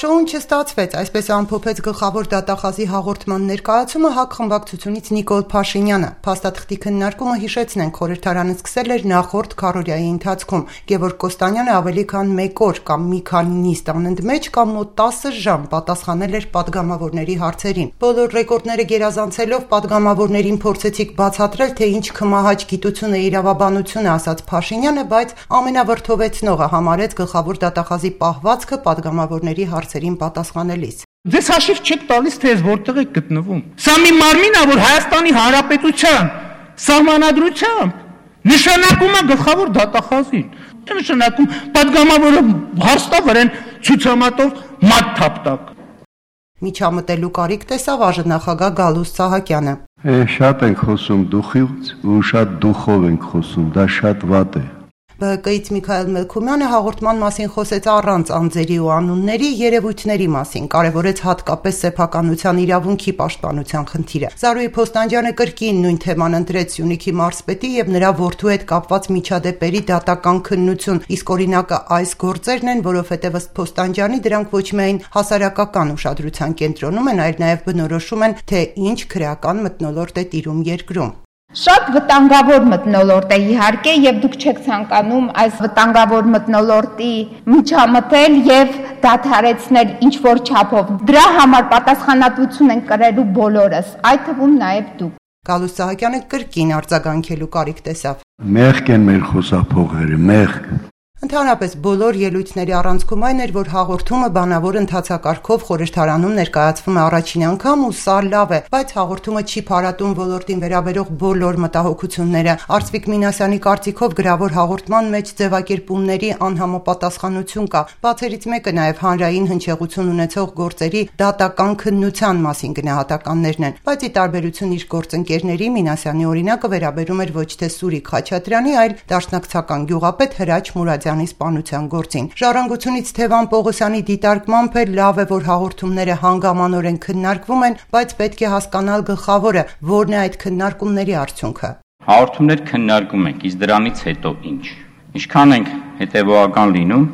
Շոուն չստացվեց, այսպես ամփոփեց գլխավոր դատախազի հաղորդման ներկայացումը ՀԱԿ խմբակցությունից Նիկոլ Փաշինյանը։ Փաստաթղթի քննարկումը, հիշեցնենք, խորհրդարանը սկսել էր նախորդ քառօրյայի ընթացքում։ Գևորգ Կոստանյանը ավելի քան 1 օր կամ մի քանի նիստ անընդմեջ կամ մոտ 10 ժամ պատասխանել էր պատգամավորների հարցերին։ Բոլոր ռեկորդները գերազանցելով պատգամավորներին փորձեցիք բացատրել, թե ինչ քմահաճ գիտություն է իրավաբանությունը, ասաց Փաշինյանը, բայց ամենավրդովեցնողը համարեց գլխավոր դատախազի պահվածքը պատգամավորների հարցերին պատասխանելիս։ Ձեզ հաշիվ չեք տալիս, թե ես որտեղ եք գտնվում։ Սա մի մարմին է, որ Հայաստանի Հանրապետության սահմանադրությամբ նշանակում է գլխավոր դատախազին։ Չէ նշանակում պատգամավորը հաստա վրան ցուցամատով մատ թափտակ։ Միջամտելու կարիք տեսավ ԱԺ Գալուստ Սահակյանը։ Շատ ենք խոսում դուխից ու շատ դուխով ենք խոսում, դա շատ վատ է։ ԲՀԿ-ից Միքայել Մելքումյանը հաղորդման մասին խոսեց առանց անձերի ու անունների երևույթների մասին, կարևորեց հատկապես սեփականության իրավունքի պաշտպանության խնդիրը։ Զարուհի Փոստանջյանը կրկին նույն թեման ընտրեց Սյունիքի մարզպետի եւ նրա որդու հետ կապված միջադեպերի դատական քննություն, իսկ օրինակը այս գործերն են, որովհետեւ ըստ Փոստանջյանի դրանք ոչ միայն հասարակական ուշադրության կենտրոնում են, այլ նաեւ բնորոշում են, թե ինչ քրեական մթնոլորտ է տիրում երկրում։ Շատ վտանգավոր մթնոլորտ է իհարկե, եւ դուք չեք ցանկանում այս վտանգավոր մթնոլորտի միջամտել եւ դադարեցնել ինչ որ չափով։ Դրա համար պատասխանատվություն են կրելու բոլորս, այդ թվում նաեւ դուք։ Գալուստ Սահակյանը կրկին արձագանքելու կարիք տեսավ։ Մեղք են մեր խոսափողերը, մեղք։ Ընդհանրապես բոլոր ելույթների առանցքում այն էր, որ հաղորդումը բանավոր ընթացակարգով խորհրդարանում ներկայացվում է առաջին անգամ ու սա լավ է, բայց հաղորդումը չի փարատում ոլորտին վերաբերող բոլոր մտահոգությունները։ Արծվիկ Մինասյանի կարծիքով գրավոր հաղորդման մեջ ձևակերպումների անհամապատասխանություն կա։ Բացերից մեկը նաև հանրային հնչեղություն ունեցող գործերի դատական քննության մասին գնահատականներն են, բայց ի տարբերություն իր գործընկերների Մինասյանի օրինակը վերաբերում էր ոչ թե Սուրիկ Խաչատրյանի, այլ դաշնակցական գյուղապետ Հրաչ Մուրադյանի սպանության գործին։ Ժառանգությունից Թևան Պողոսյանի դիտարկմամբ լավ է, որ հաղորդումները հանգամանորեն քննարկվում են, բայց պետք է հասկանալ գլխավորը, որն է այդ քննարկումների արդյունքը։ Հաղորդումներ քննարկում ենք, իսկ դրանից հետո ինչ։ Ինչքան ենք հետևողական լինում,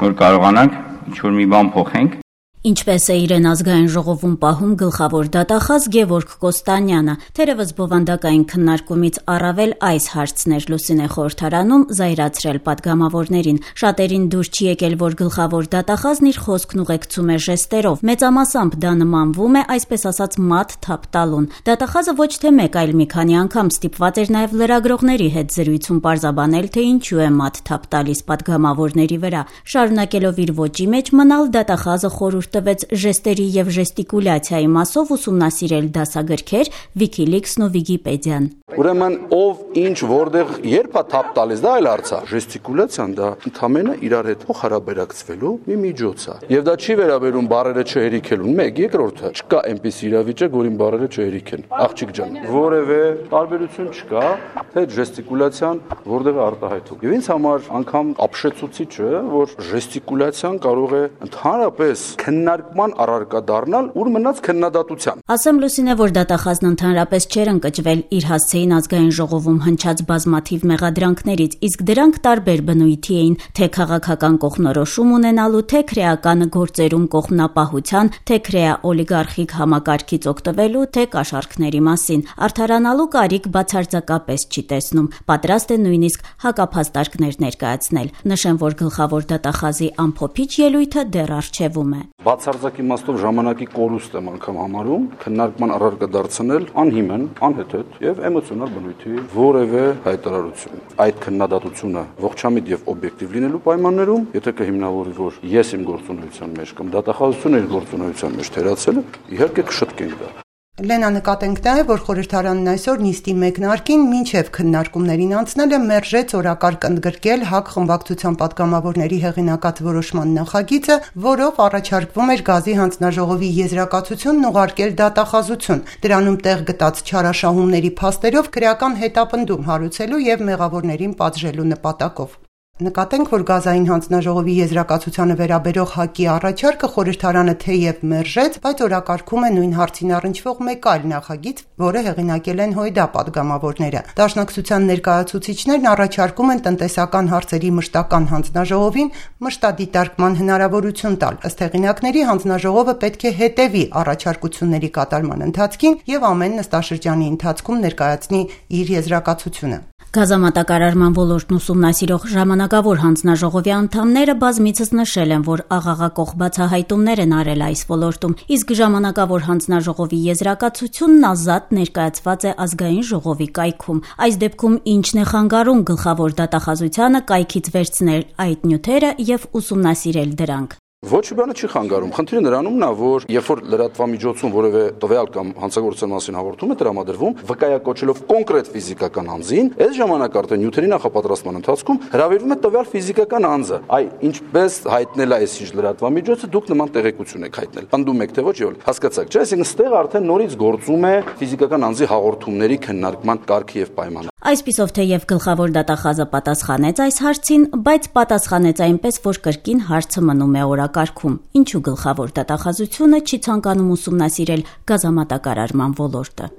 որ կարողանանք ինչ-որ մի բան փոխենք։ Ինչպես է իրեն ազգային ժողովում պահում գլխավոր դատախազ Գևորգ Կոստանյանը, թերևս բովանդակային քննարկումից առավել այս հարցն էր Լուսինե խորհրդարանում զայրացրել պատգամավորներին։ Շատերին դուր չի եկել, որ գլխավոր դատախազն իր խոսքն ուղեկցում է ժեստերով։ Մեծամասամբ դա նմանվում է, այսպես ասած, մատ թափ տալուն։ Դատախազը ոչ թե մեկ, այլ մի քանի անգամ ստիպված էր նաև լրագրողների հետ զրույցում պարզաբանել, թե ինչու է մատ թափ տալիս պատգամավորների վրա։ Շարունակելով իր ոճի մեջ մնալ, դատախազը խորհուրդ տվեց ժեստերի եւ ժեստիկուլյացիայի մասով ուսումնասիրել դասագրքեր, Wikileaks-ն ու Wikipedia-ն։ Ուրեմն ով ինչ որտեղ երբ է թափ տալիս, դա այլ հարց է։ Ժեստիկուլյացիան դա ընդհանրապես իրար հետ փոխհարաբերակցվելու մի միջոց է։ Եվ դա չի վերաբերում բառերը չհերիքելուն։ Մեկ, երկրորդը, չկա այնպիսի իրավիճակ, որին բառերը չհերիքեն։ Աղջիկ ջան, որևէ տարբերություն չկա, թե ժեստիկուլյացիան որտեղ է արտահայտում։ Եվ ինձ համար անգամ ապշեցուցիչ է, որ ժեստիկուլյացիան կարող է ընդհանրապես քննարկման առարկա դառնալ, ուր մնաց քննադատության։ Ասեմ Լուսինե, որ դատախազն ընդհանրապես չէր ընկճվել իր հասցեին ազգային ժողովում հնչած բազմաթիվ մեղադրանքներից, իսկ դրանք տարբեր բնույթի էին, թե քաղաքական կողմնորոշում ունենալու, թե քրեական գործերում կողմնապահության, թե քրեա-օլիգարխիկ համակարգից օգտվելու, թե կաշառքների մասին։ Արդարանալու կարիք բացարձակապես չի տեսնում, պատրաստ է նույնիսկ հակափաստարկներ ներկայացնել։ Նշեմ, որ գլխավոր դատախազի ամփոփիչ ելույթը դեռ առջևում է։ Բացարձակ իմաստով ժամանակի կորուստ եմ անգամ համարում քննարկման առարկա դարձնել անհիմն, անհեթեթ եւ էմոցիոնալ բնույթի որևէ հայտարարություն։ Այդ քննադատությունը ողջամիտ եւ օբյեկտիվ լինելու պայմաններում, եթե կհիմնավորի, որ ես իմ գործունեության մեջ կամ դատախազությունը իր գործունեության մեջ թերացել է, իհարկե կշտկենք դա։ Լենա, նկատենք նաև, որ խորհրդարանն այսօր նիստի մեկնարկին մինչև քննարկումներին անցնելը մերժեց օրակարգ ընդգրկել ՀԱԿ խմբակցության պատգամավորների հեղինակած որոշման նախագիծը, որով առաջարկվում էր գազի հանձնաժողովի եզրակացությունն ուղարկել դատախազություն, դրանում տեղ գտած չարաշահումների փաստերով քրեական հետապնդում հարուցելու եւ մեղավորներին պատժելու նպատակով։ Նկատենք, որ գազային հանձնաժողովի եզրակացությանը վերաբերող ՀԱԿ-ի առաջարկը խորհրդարանը թեև մերժեց, բայց օրակարգում է նույն հարցին առնչվող մեկ այլ նախագիծ, որը հեղինակել են ՀՅԴ պատգամավորները։ Դաշնակցության ներկայացուցիչներն առաջարկում են տնտեսական հարցերի մշտական հանձնաժողովին մշտադիտարկման հնարավորություն տալ։ Ըստ հեղինակների, հանձնաժողովը պետք է հետևի առաջարկությունների կատարման ընթացքին եւ ամեն նստաշրջանի ընթացքում ներկայացնի իր եզրակացությունը։ Գազամատակարարման ոլորտն ուսումնասիրող ժամանակավոր հանձնաժողովի անդամները բազմիցս նշել են, որ աղաղակող բացահայտումներ են արել այս ոլորտում, իսկ ժամանակավոր հանձնաժողովի եզրակացությունն ազատ ներկայացված է ազգային ժողովի կայքում։ Այս դեպքում ինչն է խանգարում գլխավոր դատախազությանը կայքից վերցնել այդ նյութերը եւ ուսումնասիրել դրանք։ Ոչ մի բանը չի խանգարում։ Խնդիրը նրանումն է, որ երբ որ լրատվամիջոցում որևէ տվյալ կամ հանցագործության մասին հաղորդում է տրամադրվում, վկայակոչելով կոնկրետ ֆիզիկական անձին, այս ժամանակ արդեն նյութերի նախապատրաստման ընթացքում հրավիրվում է տվյալ ֆիզիկական անձը։ Այ ինչպես հայտնել է այս լրատվամիջոցը, դուք նման տեղեկություն եք հայտնել։ Պնդում եք թե ոչ, եւ հասկացաք, չէ՞, այսինքն ստեղ արդեն նորից գործում է ֆիզիկական անձի հաղորդումների քննարկման կարգը եւ պայմանը։ Այսպիսով թեև գլխավոր դատախազը պատասխանեց այս հարցին, բայց պատասխանեց այնպես, որ կրկին հարցը մնում է օրակարգում։ Ինչու գլխավոր դատախազությունը չի ցանկանում ուսումնասիրել գազամատակարարման ոլորտը։